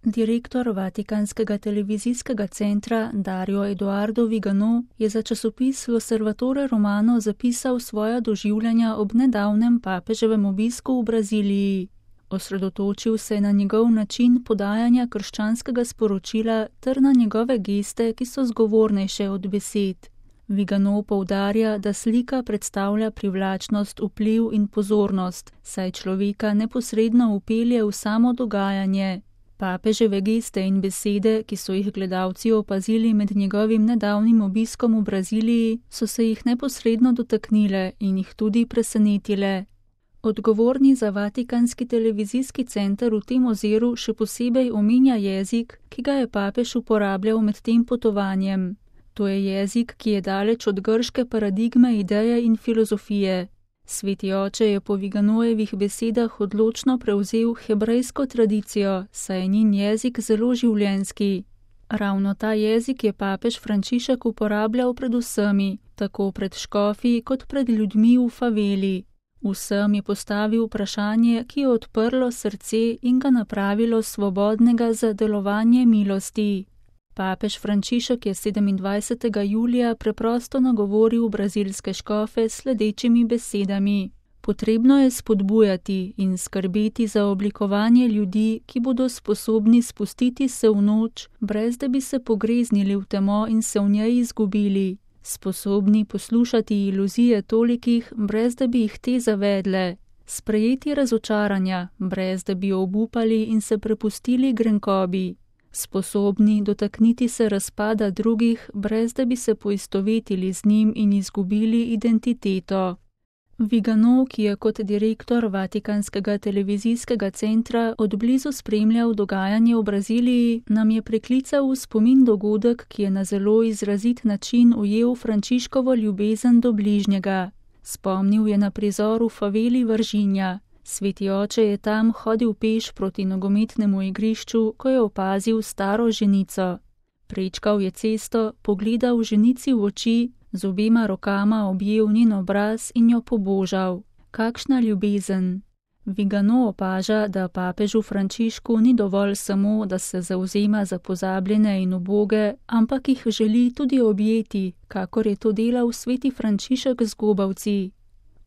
Direktor Vatikanskega televizijskega centra Dario Eduardo Vigano je za časopis L'Osservatore Romano zapisal svoja doživljanja ob nedavnem papeževem obisku v Braziliji. Osredotočil se je na njegov način podajanja krščanskega sporočila ter na njegove geste, ki so zgovornejše od besed. Vigano poudarja, da slika predstavlja privlačnost, vpliv in pozornost, saj človeka neposredno vpelje v samo dogajanje. Papeževe geste in besede, ki so jih gledalci opazili med njegovim nedavnim obiskom v Braziliji, so se jih neposredno dotaknile in jih tudi presenetile. Odgovorni za Vatikanski televizijski center v tem oziru še posebej omenja jezik, ki ga je papež uporabljal med tem potovanjem. To je jezik, ki je daleč od grške paradigme ideje in filozofije. Sveti oče je po Viganojevih besedah odločno prevzel hebrejsko tradicijo, saj je njen jezik zelo življenjski. Ravno ta jezik je papež Frančišek uporabljal pred vsemi, tako pred škofi kot pred ljudmi v faveli. Vsem je postavil vprašanje, ki je odprlo srce in ga napravilo svobodnega za delovanje milosti. Papež Frančišek je 27. julija preprosto nagovoril brazilske škofe s sledečimi besedami. Potrebno je spodbujati in skrbeti za oblikovanje ljudi, ki bodo sposobni spustiti se v noč, brez da bi se pogreznili v temo in se v njej izgubili. Sposobni poslušati iluzije tolikih, brez da bi jih te zavedle. Sprejeti razočaranja, brez da bi obupali in se prepustili grenkobi. Sposobni dotakniti se razpada drugih, brez da bi se poistovetili z njim in izgubili identiteto. Vigano, ki je kot direktor Vatikanskega televizijskega centra odblizu spremljal dogajanje v Braziliji, nam je priklical v spomin dogodek, ki je na zelo izrazit način ujel Frančiškovo ljubezen do bližnjega. Spomnil je na prizor v faveli Varginha. Sveti oče je tam hodil peš proti nogometnemu igrišču, ko je opazil staro ženico. Prečkal je cesto, pogledal ženici v oči, z obema rokama objel njen obraz in jo pobožal. Kakšna ljubezen! Vigano opaža, da papežu Frančišku ni dovolj samo, da se zavzema za pozabljene in uboge, ampak jih želi tudi objeti, kakor je to delal sveti Frančišek z gobavci.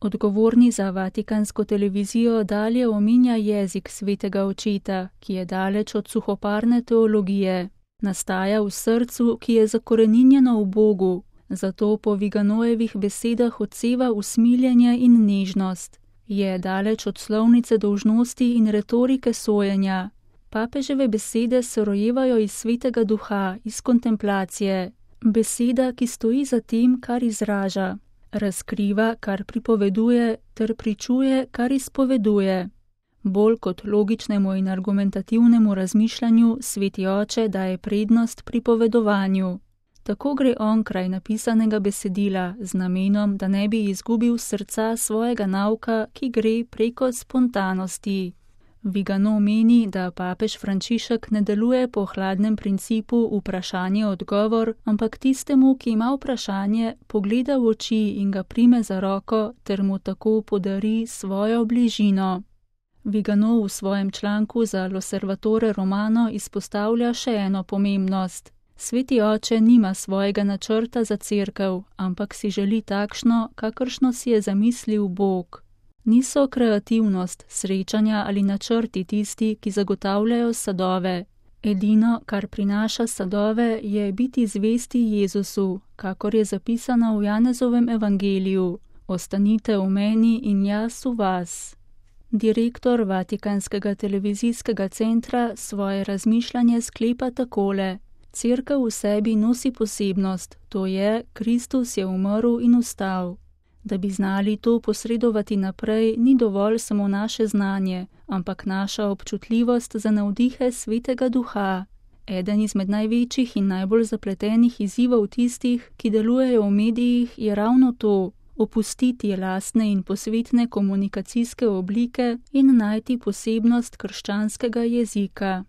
Odgovorni za Vatikansko televizijo dalje omenja jezik svetega očeta, ki je daleč od suhoparne teologije. Nastaja v srcu, ki je zakoreninjeno v Bogu, zato po Viganojevih besedah odseva usmiljenje in nežnost. Je daleč od slovnice dolžnosti in retorike sojenja. Papeževe besede se rojevajo iz svetega duha, iz kontemplacije. Beseda, ki stoji za tem, kar izraža. Razkriva, kar pripoveduje, ter pričuje, kar izpoveduje. Bolj kot logičnemu in argumentativnemu razmišljanju sveti oče daje prednost pripovedovanju. Tako gre on kraj napisanega besedila z namenom, da ne bi izgubil srca svojega nauka, ki gre preko spontanosti. Vigano meni, da papež Frančišek ne deluje po hladnem principu vprašanje-odgovor, ampak tistemu, ki ima vprašanje, pogleda v oči in ga prime za roko ter mu tako podari svojo bližino. Vigano v svojem članku za L'Osservatore Romano izpostavlja še eno pomembnost. Sveti oče nima svojega načrta za cerkev, ampak si želi takšno, kakršno si je zamislil Bog. Niso kreativnost, srečanja ali načrti tisti, ki zagotavljajo sadove. Edino, kar prinaša sadove, je biti zvesti Jezusu, kakor je zapisano v Janezovem evangeliju. Ostanite v meni in jaz v vas. Direktor Vatikanskega televizijskega centra svoje razmišljanje sklepa takole. Cerkev v sebi nosi posebnost, to je, Kristus je umrl in vstal. Da bi znali to posredovati naprej, ni dovolj samo naše znanje, ampak naša občutljivost za navdihe svetega duha. Eden izmed največjih in najbolj zapletenih izzivov tistih, ki delujejo v medijih, je ravno to, opustiti lastne in posvetne komunikacijske oblike in najti posebnost krščanskega jezika.